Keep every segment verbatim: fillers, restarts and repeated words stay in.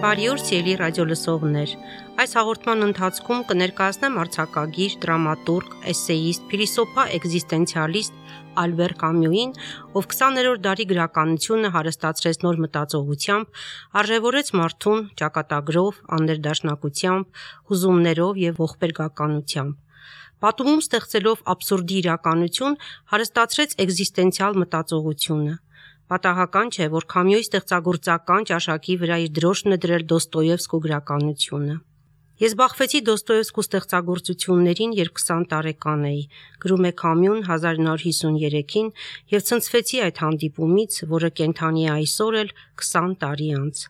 Բարի օր, սիրելի ռադիոլսողներ։ Այս հաղորդման ընթացքում կներկայացնեմ արձակագիր, դրամատուրգ, էսեիստ, փիլիսոփա էկզիստենցիալիստ Ալբեր Կամյուին, ով քսաներորդ դարի գրականությունը հարստացրեց նոր մտածողությամբ, արժևորեց մարդուն ճակատագրով, աներդաշնակությամբ, հուզումներով եւ ողբերգականությամբ։ Պատումում ստեղծելով աբսուրդի իրականություն, հարստացրեց էկզիստենցիալ մտածողությունը։ Պատահական չէ, որ Կամյուի ստեղծագործական ճաշակի վրա իր դրոշն է դրել Դոստոևսկու գրականությունը։ Ես բախվեցի Դոստոևսկու ստեղծագործություններին, երբ քսան տարեկան էի, գրում է Կամյուն հազար նոր հիսուներեքին, եւ ցնցվեցի այդ հանդիպումից, որը կենթանի է այսօր էլ քսան տարի անց։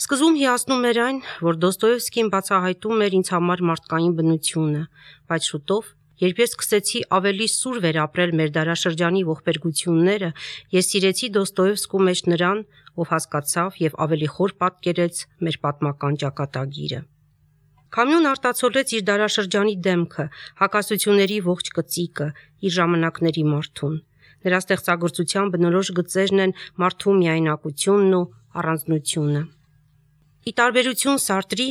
Սկզբում հիացնում էր այն, որ Դոստոևսկին բացահայտում էր ինձ համար մարդկային բնությունը, բայց շուտով, երբ ես սկսեցի ավելի սուր վերապրել մեր դարաշրջանի ողբերգությունները, ես սիրեցի Դոստոևսկու մեջ նրան, ով հասկացավ եւ ավելի խոր պատկերեց մեր պատմական ճակատագիրը։ Կամյուն արտացոլեց իր դարաշրջանի դեմքը, հակասությունների ողջ կծիկը, իր ժամանակների մարդուն։ Նրա ստեղծագործության բնորոշ գծերն են մարդու միայնակությունն ու առանձնությունը։ Ի տարբերություն Սարտրի,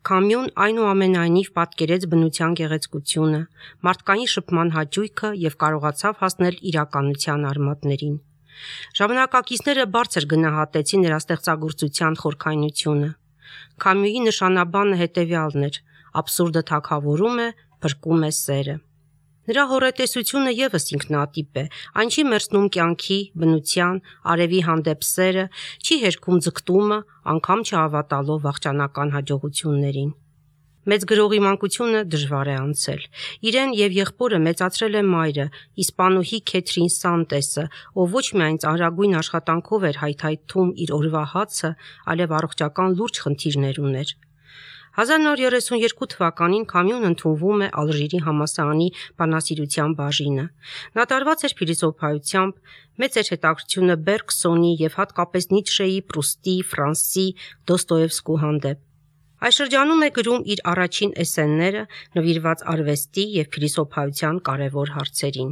Կամյուն այնուամենայնիվ պատկերեց բնության գեղեցկությունը, մարդկային շփման հաճույքը եւ կարողացավ հասնել իրականության արմատներին։ Ժամանակակիցները բարձր գնահատեցին նրա ստեղծագործության խորքայնությունը։ Կամյուի նշանաբանը հետևյալն էր. աբսուրդը թագավորում է, փրկում է սերը։ Նրա հոռետեսությունը եւս ինքնատիպ է, այն չի մերձնում կյանքի, բնության, արևի հանդեպ սերը, չի հերքում ձգտումը, անգամ չհավատալով վախճանական հաջողություններին։ Մեծ գրողի մանկությունը դժվար է անցել։ Իրեն եւ եղբորը մեծացրել է մայրը, իսպանուհի Քեթրին Սանտեսը, ով ոչ միայն ծանրագույն աշխատանքով էր հայթայթում իր օրվա հացը, այլև առողջական լուրջ խնդիրներ ուներ։ հազար նոր երեսունյերկու թվականին Կամյուն ընդունվում է Ալժիրի համալսարանի բանասիրության բաժինը։ Նա տարված էր փիլիսոփայությամբ, մեծ էր հետաքրքրությունը Բերգսոնի եւ հատկապես Նիցշեի, Պրուստի, Ֆրանսի, Դոստոևսկու հանդեպ։ Այս շրջանում է գրում իր առաջին էսսեները, նվիրված արվեստի եւ փիլիսոփայության կարևոր հարցերին։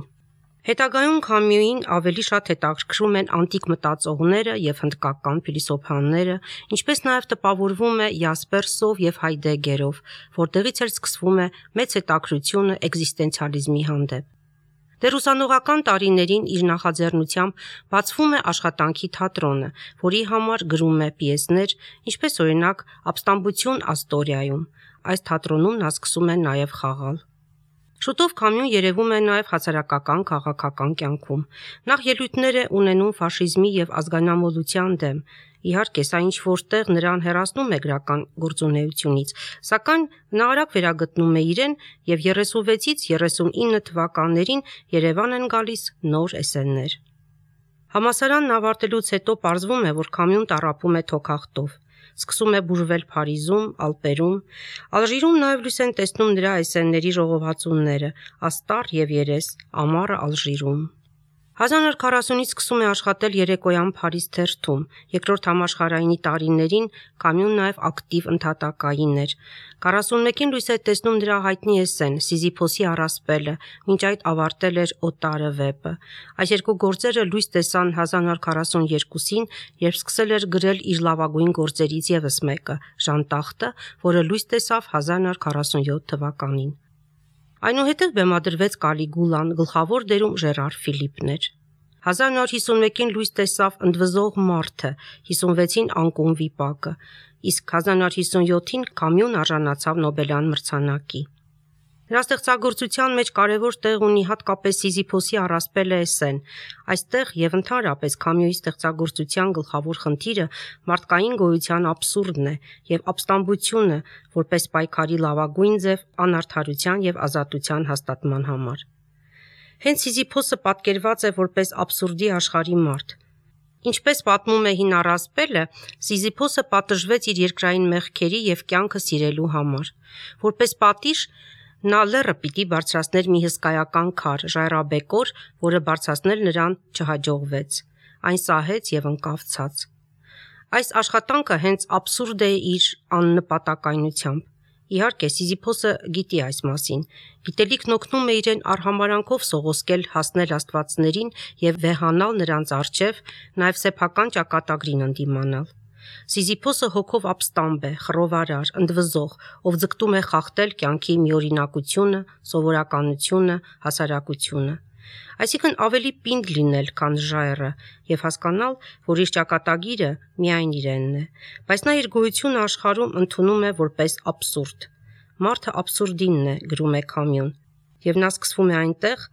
Հետագայում Կամյուին ավելի շատ հետաքրքրում են անտիկ մտածողները եւ հնդկական փիլիսոփաները, ինչպես նաեւ տպավորվում է Յասպերսով եւ Հայդեգերով, որտեղից էլ սկսվում է մեծ հետաքրքրությունը էկզիստենցիալիզմի հանդեպ։ Դեռ ուսանողական տարիներին իր նախաձեռնությամբ բացվում է աշխատանքի թատրոնը, որի համար գրում է պիեսներ, ինչպես օրինակ «Ապստամբություն Աստորիայում»։ Այս թատրոնում նա սկսում է նաեւ խաղալ։ Շուտով Կամյուն երևում է նաև հասարակական քաղաքական կյանքում։ Նախ ելույթներ է ունենում ֆաշիզմի եւ ազգանամոլության դեմ։ Իհարկե, սա ինչ որտեղ նրան հեռացնում է գրական գործունեությունից, սակայն նա արագ վերագտնում է իրեն եւ երեսունվեցից երեսունինը թվականներին Երևան են գալիս նոր էսսեներ։ Համալսարանն ավարտելուց հետո պարզվում է, որ Կամյուն տառապում է թոքախտով։ Սկսում է բուժվել Փարիզում, Ալպերում, Ալժիրում նաև լույս են տեսնում նրա էսսեների ժողովածուները «Աստառ եւ երես», «Ամառը Ալժիրում»։ հազար նոր քառասունից սկսում է աշխատել երեկոյան Փարիզ թերթում։ Երկրորդ համաշխարհայինի տարիներին Կամյուն նաև ակտիվ ընդհատակային էր։ քառասունմեկին լույս է տեսնում նրա հայտնի էսսեն «Սիզիփոսի առասպելը», մինչ այդ ավարտել էր «Օտարը» վեպը։ Այս երկու գործերը լույս տեսան հազար նոր քառասունյերկուսին, երբ սկսել էր գրել իր լավագույն գործերից եւս մեկը՝ «Ժանտախտը», որը լույս տեսավ հազար նոր քառասունյոթ թվականին։ Այնուհետև բեմադրվեց Կալիգուլան, գլխավոր դերում Ժերար Ֆիլիպն էր։ հազար նոր հիսունմեկին լույս տեսավ «Ընդվզող մարդը», հիսունվեցին «Անկում վիպակը», իսկ հազար նոր հիսունյոթին Կամյուն արժանացավ Նոբելյան մրցանակի։ Նրա ստեղծագործության մեջ կարևոր տեղ ունի հատկապես Սիզիփոսի առասպելը էսսեն։ Այստեղ եւ ընդհանրապես Կամյուի ստեղծագործության գլխավոր խնդիրը մարդկային գոյության աբսուրդն է եւ ապստամբությունը, որպես պայքարի լավագույն ձև անարդարության եւ ազատության հաստատման համար։ Հենց Սիզիփոսը պատկերված է որպես աբսուրդի աշխարհի մարդ։ Ինչպես պատմում է հին առասպելը, Սիզիփոսը պատժվեց իր երկրային մեղքերի եւ կյանքը սիրելու համար։ Որպես պատիժ նա լեռը պիտի բարձրացներ մի հսկայական քար, ժայռաբեկոր, որը բարձրացնել նրան չհաջողվեց։ Այն սահեց եւ ընկավ ցած։ Այս աշխատանքը հենց աբսուրդ է իր աննպատակայնությամբ։ Իհարկե, Սիզիփոսը գիտի այս մասին։ Գիտելիքն օգնում է իրեն արհամարանքով սողոսկել հասնել աստվածներին եւ վեհանալ նրանց առջև, նաեւ սեփական ճակատագրին ընդդիմանալ։ Սիզիփոսը հոգով ապստամբ է, խռովարար, ընդվզող, ով ձգտում է խախտել կյանքի միօրինակությունը, սովորականությունը, հասարակությունը։ Այսինքն ավելի պինդ լինել, քան ժայռը, եւ հասկանալ, որ իր ճակատագիրը միայն իրենն է, բայց նա իր գոյությունը աշխարհում ընդունում է որպես աբսուրդ։ Մարդը աբսուրդինն է, գրում է Կամյուն, եւ նա սկսվում է այնտեղ,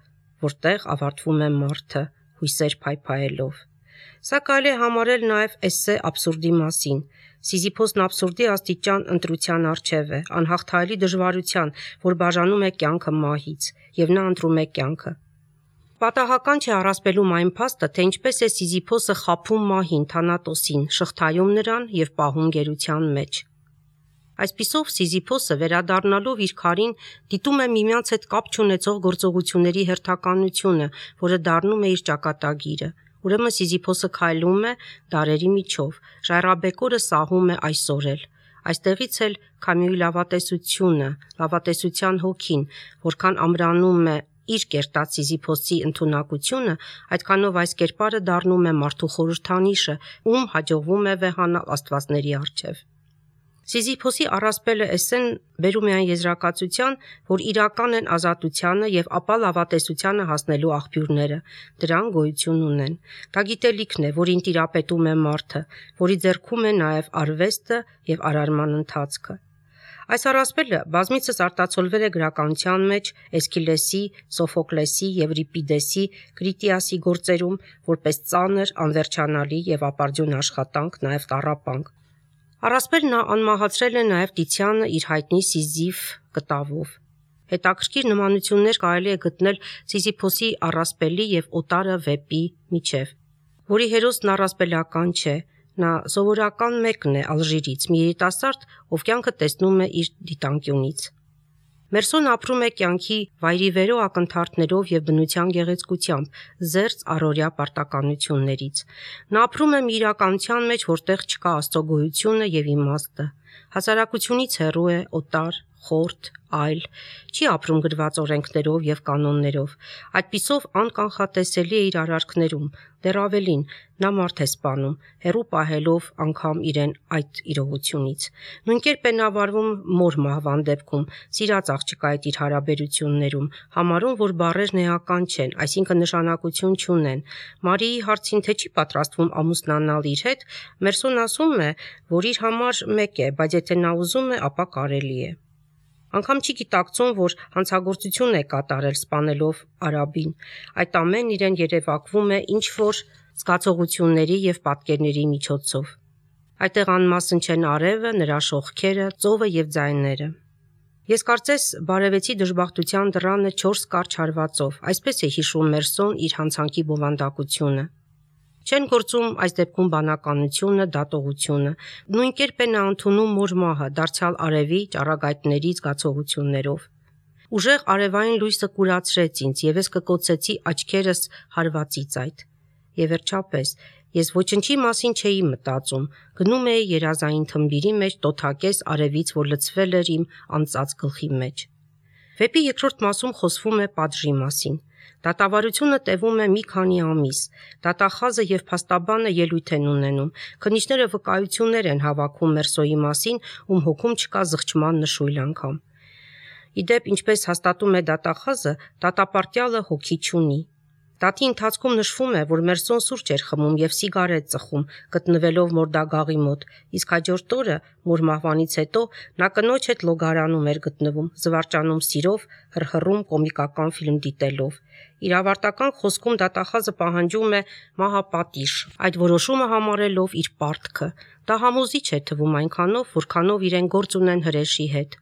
որտեղ ավարտվում է մարդը, հույսեր փայփայելով։ Սա կարելի է համարել նաև էսսե աբսուրդի մասին։ Սիզիփոսն աբսուրդի աստիճան ընտրության առջև է, անհաղթահարելի դժվարության, որ բաժանում է կյանքը մահից, եւ նա ընտրում է կյանքը։ Պատահական չէ առասպելում այն փաստը, թե ինչպես է Սիզիփոսը խաբում մահին, Թանատոսին, շղթայում նրան եւ պահում գերության մեջ։ Այսպիսով Սիզիփոսը վերադառնալով իր քարին դիտում է միմյանց հետ կապ չունեցող գործողությունների հերթականությունը, որը դառնում է իր ճակատագիրը։ Ուրեմն Սիզիփոսը քայլում է դարերի միջով, ժայռաբեկորը սահում է այսօր էլ։ Այստեղից էլ Կամյուի լավատեսությունը, լավատեսության հոգին, որքան ամրանում է իր կերտած Սիզիփոսի ընդունակությունը, այդքանով այս կերպարը դառնում է մարդու խորհրդանիշը, ում հաջողվում է վեհանալ աստվածների առջև։ Սիզիփոսի առասպելը էսսեն բերում է այն եզրակացության, որ իրական են ազատությանը եւ ապա լավատեսությանը հասնելու աղբյուրները, դրան գոյություն ունեն։ Դա գիտելիքն է, որին տիրապետում է մարդը, որի ձեռքում է նաեւ արվեստը եւ արարման ընթացքը։ Այս առասպելը բազմիցս արտացոլվել է գրականության մեջ Էսքիլեսի, Սոֆոկլեսի, Եվրիպիդեսի, Կրիտիասի գործերում որպես ծանր, անվերջանալի եւ ապարդյուն աշխատանք, նաեւ տառապանք։ Առասպելն անմահացրել է նաև Տիցյանը իր հայտնի Սիզիֆ կտավով։ Հետաքրքիր նմանություններ կարելի է գտնել Սիզիփոսի առասպելի եւ Օտարը վեպի միջև, որի հերոսն առասպելական չէ, նա սովորական մեկն է Ալժիրից, մի երիտասարդ, ով կյանքը տեսնում է իր դիտանկյունից։ Մերսոն ապրում է կյանքի վայրիվերո ակնթարթներով եւ բնության գեղեցկությամբ, զերծ առօրյա պարտականություններից։ Նա ապրում է մի իրականության մեջ, որտեղ չկա Աստծո գոյությունը եւ իմաստը։ Հասարակությունից հեռու է, օտար, խորթ, այլ, չի ապրում գրված օրենքներով եւ կանոններով։ Այդպիսով անկանխատեսելի է իր արարքներում, դեռ ավելին, նա մարդ է սպանում, հեռու պահելով անգամ իրեն այդ իրողությունից։ Նույն կերպ է նա վարվում մոր մահվան դեպքում, սիրած աղջկայից իր հարաբերություններում, համարում, որ բառերն էական չեն, այսինքն նշանակություն չունեն։ Մարիի հարցին, թե չի պատրաստվում ամուսնանալ իր հետ, Մերսոն ասում է, որ իր համար մեկ է, բայց եթե նա ուզում է, ապա կարելի է։ Անգամ չի գիտակցում, որ հանցագործություն է կատարել սպանելով արաբին։ Այդ ամեն իրեն երևակվում է ինչ-որ զգացողությունների եւ պատկերների միջոցով։ Այդտեղ անմասն չեն արևը, նրա շողքերը, ծովը եւ ձայները։ Ես կարծես բարևեցի դժբախտության դռանը չորս կարճ հարվածով, այսպես է հիշում Մերսոն իր հանցանքի բովանդակությունը։ Չեն գործում այս դեպքում բանականությունը, դատողությունը։ Նույն կերպ է նա ընդունում մոր մահը, դարձյալ արևի ճառագայթների զգացողություններով։ Ուժեղ արևային լույսը կուրացրեց ինձ, եւ ես կկոցեցի աչքերս հարվածից այդ։ Եվ վերջապես, ես ոչնչի մասին չէի մտածում, գնում էի երազային թմբիրի մեջ տոթակես արևից, որ լցվել էր իմ անծած գլխի մեջ։ Վեպի երկրորդ մասում խոսվում է պատժի մասին։ Դատավարությունը տևում է մի քանի ամիս։ Դատախազը եւ փաստաբանը ելույթ են ունենում։ Քննիչները վկայություններ են հավաքում Մերսոյի մասին, ում հոգում չկա զղջման նշույլ անգամ։ Իդեպ, ինչպես հաստատում է դատախազը, դատապարտյալը հոգի չունի։ Դատի ընթացքում նշվում է, որ Մերսոն սուրճ էր խմում եւ սիգարետ ծխում, գտնվելով մորդագաղի մոտ, իսկ հաջորդ օրը, մոր մահվանից հետո, նա կնոջ հետ լոգարանում էր գտնվում, զվարճանում սիրով, հռհռում կոմիկական ֆիլմ դիտելով։ Իր ավարտական խոսքում դատախազը պահանջում է մահապատիժ, այդ որոշումը համարելով իր պարտքը։ Դա համոզիչ է թվում այնքանով, որքանով իրեն գործ ունեն հրեշի հետ։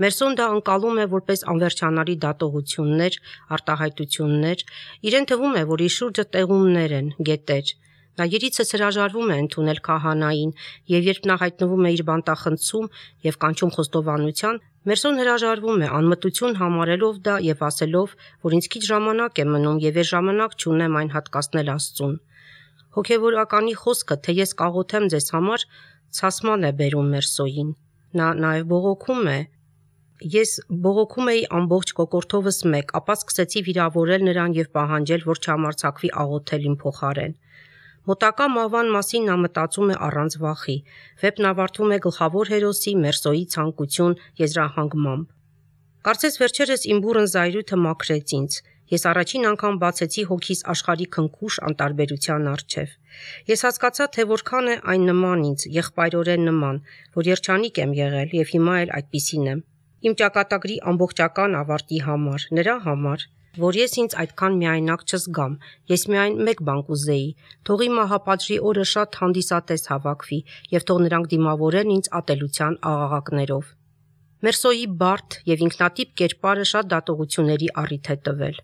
Մերսոն դա անցալում է որպես անվերջանալի դատողություններ, արտահայտություններ, իրեն թվում է, որ իր շուրջը տեղումներ են, գետեր։ Նա երիցս հրաժարվում է ընդունել քահանային, եւ երբ նա հայտնվում է իր բանտախցում եւ կանչում խոստովանության, Մերսոն հրաժարվում է, անմտություն համարելով դա եւ ասելով, որ ինձ քիչ ժամանակ է մնում եւ ես ժամանակ չունեմ այն հատկացնել Աստծուն։ Հոգեվորականի խոսքը, թե ես կաղոթեմ ձեզ համար, ցասման է բերում Մերսոյին։ Նա նաեւ բողոքում է. Ես բողոքում էի ամբողջ կոկորդովս մեկ, ապա սկսեցի վիրավորել նրան եւ պահանջել, որ չհամարձակվի աղոթել իմ փոխարեն։ Մոտակա մահվան մասին նա մտածում է առանց վախի։ Վեպն ավարտվում է գլխավոր հերոսի Մերսոյի ցանկություն եզրահանգմամբ։ Կարծես վերջերս իմ բուռն զայրույթը մաքրեց ինձ։ Ես առաջին անգամ բացեցի հոգիս աշխարհի քնքուշ անտարբերության առջև։ Ես հասկացա, թե որքան է այն նման ինձ, եղբայրորեն նման, որ երջանիկ եմ եղել եւ հիմա էլ այդպիսին եմ։ Իմ ճակատագրի ամբողջական ավարտի համար, նրա համար, որ ես ինձ այդքան միայնակ չզգամ, ես միայն մեկ բան կուզեի, թող իմ մահապատժի օրը շատ հանդիսատես հավաքվի եւ թող նրանք դիմավորեն ինձ ատելության աղաղակներով։ Մերսոյի բարդ եւ ինքնատիպ կերպարը շատ դատողությունների առիթ է տվել։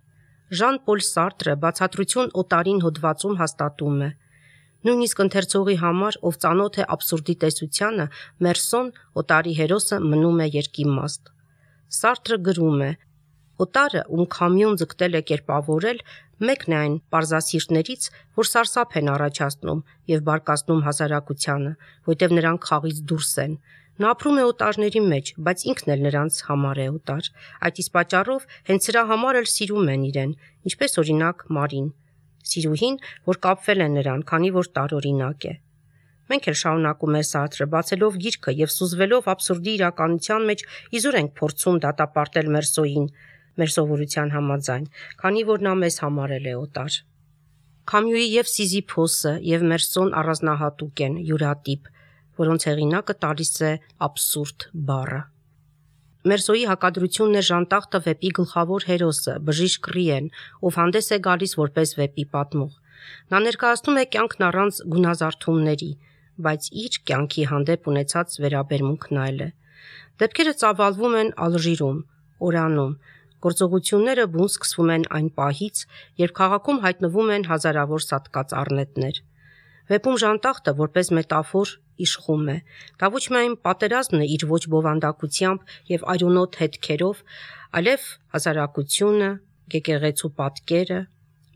Ժան-Պոլ Սարտրը բացատրություն օտարին հոդվածում հաստատում է. նույնիսկ ընթերցողի համար, ով ծանոթ է աբսուրդի տեսությանը, Մերսոն, օտարի հերոսը, մնում է երկիմաստ։ Սարտրը գրում է. օտարը, ում քամյուն ձգտել է կերպավորել, մեկն է այն պարզասիրտներից, որ սարսափ են առաջացնում եւ բարկացնում հասարակությանը, որտեղ նրանք խաղից դուրս են։ Նա ապրում է օտարների մեջ, բայց ինքն էլ նրանց համար է օտար։ Այդ իսկ պատճառով հենց սրա համար էլ սիրում են իրեն, ինչպես օրինակ Մարին, սիրուհին, որ կապվել է նրան, քանի որ տարօրինակ է։ Մենք էլ շարունակում է Սարտրը, բացելով գիրքը եւ սուզվելով աբսուրդի իրականության մեջ, իզուր ենք փորձում դատապարտել Մերսոյին, մեր սովորության համաձայն, քանի որ նա մեզ համարել է օտար։ Կամյուի եւ Սիզիփոսը եւ Մերսոն առանձնահատուկ են, յուրատիպ, որոնց հեղինակը տալիս է աբսուրդ բառը։ Մերսոյի հակադրությունն է Ժանտախտը վեպի գլխավոր հերոսը, բժիշկ Ռիեն, ով հանդես է գալիս որպես վեպի պատմող։ Նա ներկայացնում է կյանքն առանց գունազարդումների, բայց իր կյանքի հանդեպ ունեցած վերաբերմունքն այլ է։ Դեպքերը ծավալվում են Ալժիրում, Օրանում, գործողությունները բուն սկսվում են այն պահից, երբ քաղաքում հայտնվում են հազարավոր սատկած առնետներ։ Վեպում Ժանտախտը որպես մետաֆոր իշխում է։ Դա ոչ միայն պատերազմն է իր ոչ բովանդակությամբ եւ այրոնոտ հետքերով, այլև հասարակությունը, եկեղեցու պատկերը,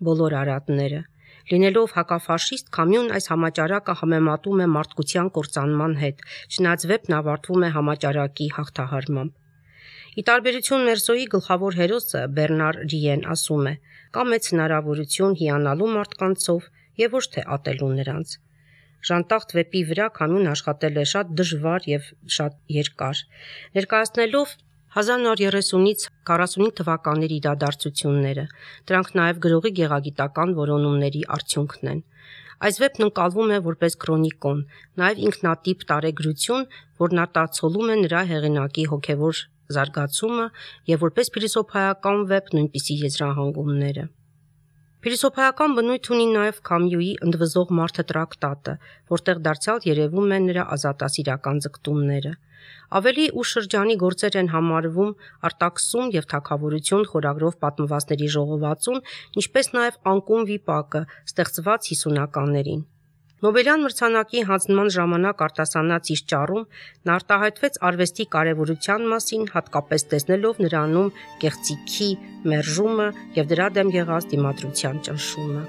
բոլոր արատները։ Լինելով հակաֆաշիստ, Կամյուն այս համաճարակը համեմատում է մարդկության կործանման հետ, չնայած վեպն ավարտվում է համաճարակի հաղթահարմամբ։ Ի տարբերություն Մերսոյի գլխավոր հերոսը Բեռնար Ռիեն ասում է. կա մեծ հնարավորություն հիանալու մարդկանցով եւ ոչ թե ատելու նրանց։ Ժանտախտ վեպի վրա Կամյուն աշխատել է շատ դժվար եւ շատ երկար, ներկայացնելով հազար նոր երեսունից քառասունհինգ թվականների իրադարձությունները, դրանք նաև գրողի գեղագիտական որոնումների արդյունքն են։ Այս վեպն ընկալվում է որպես քրոնիկոն, նաև ինքնատիպ տարեգրություն, որն արտացոլում է նրա հեղինակի հոգևոր զարգացումը եւ որպես փիլիսոփայական վեպ նույնպիսի եզրահանգումները։ Փիլիսոփայական բնույթ ունի նաև Կամյուի ընդվզող մարդը տրակտատը, որտեղ դարձյալ երևում են նրա ազատասիրական ձգտումները։ Ավելի ուշ շրջանի գործեր են համարվում Արտաքսում եւ Թագավորություն խորագրով պատմվածների ժողովածուն, ինչպես նաև Անկում վիպակը, ստեղծված հիսունականներին։ Նոբելյան մրցանակի հանձնման ժամանակ արտասանած իր ճառում նա արտահայտվեց արվեստի կարևորության մասին, հատկապես տեսնելով նրանում կեղծիքի մերժումը եւ դրա դեմ եղած դիմադրության ճնշումը։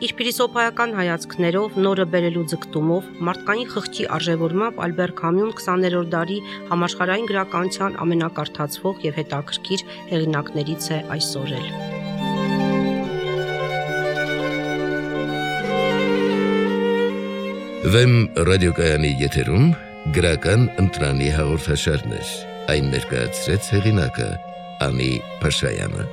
Իր փիլիսոփայական հայացքներով, նորը բերելու ձգտումով, մարդկային խղճի արժևորմամբ Ալբեր Կամյուն քսաներորդ դարի համաշխարհային գրականության ամենակարդացվող եւ հետաքրքիր հեղինակներից է այսօր էլ։ Վեմ ռադիոկայանի եթերում գրական ընտրանի հաղորդաշարներ, այն ներկայացրեց հեղինակը Անի Փաշայանը։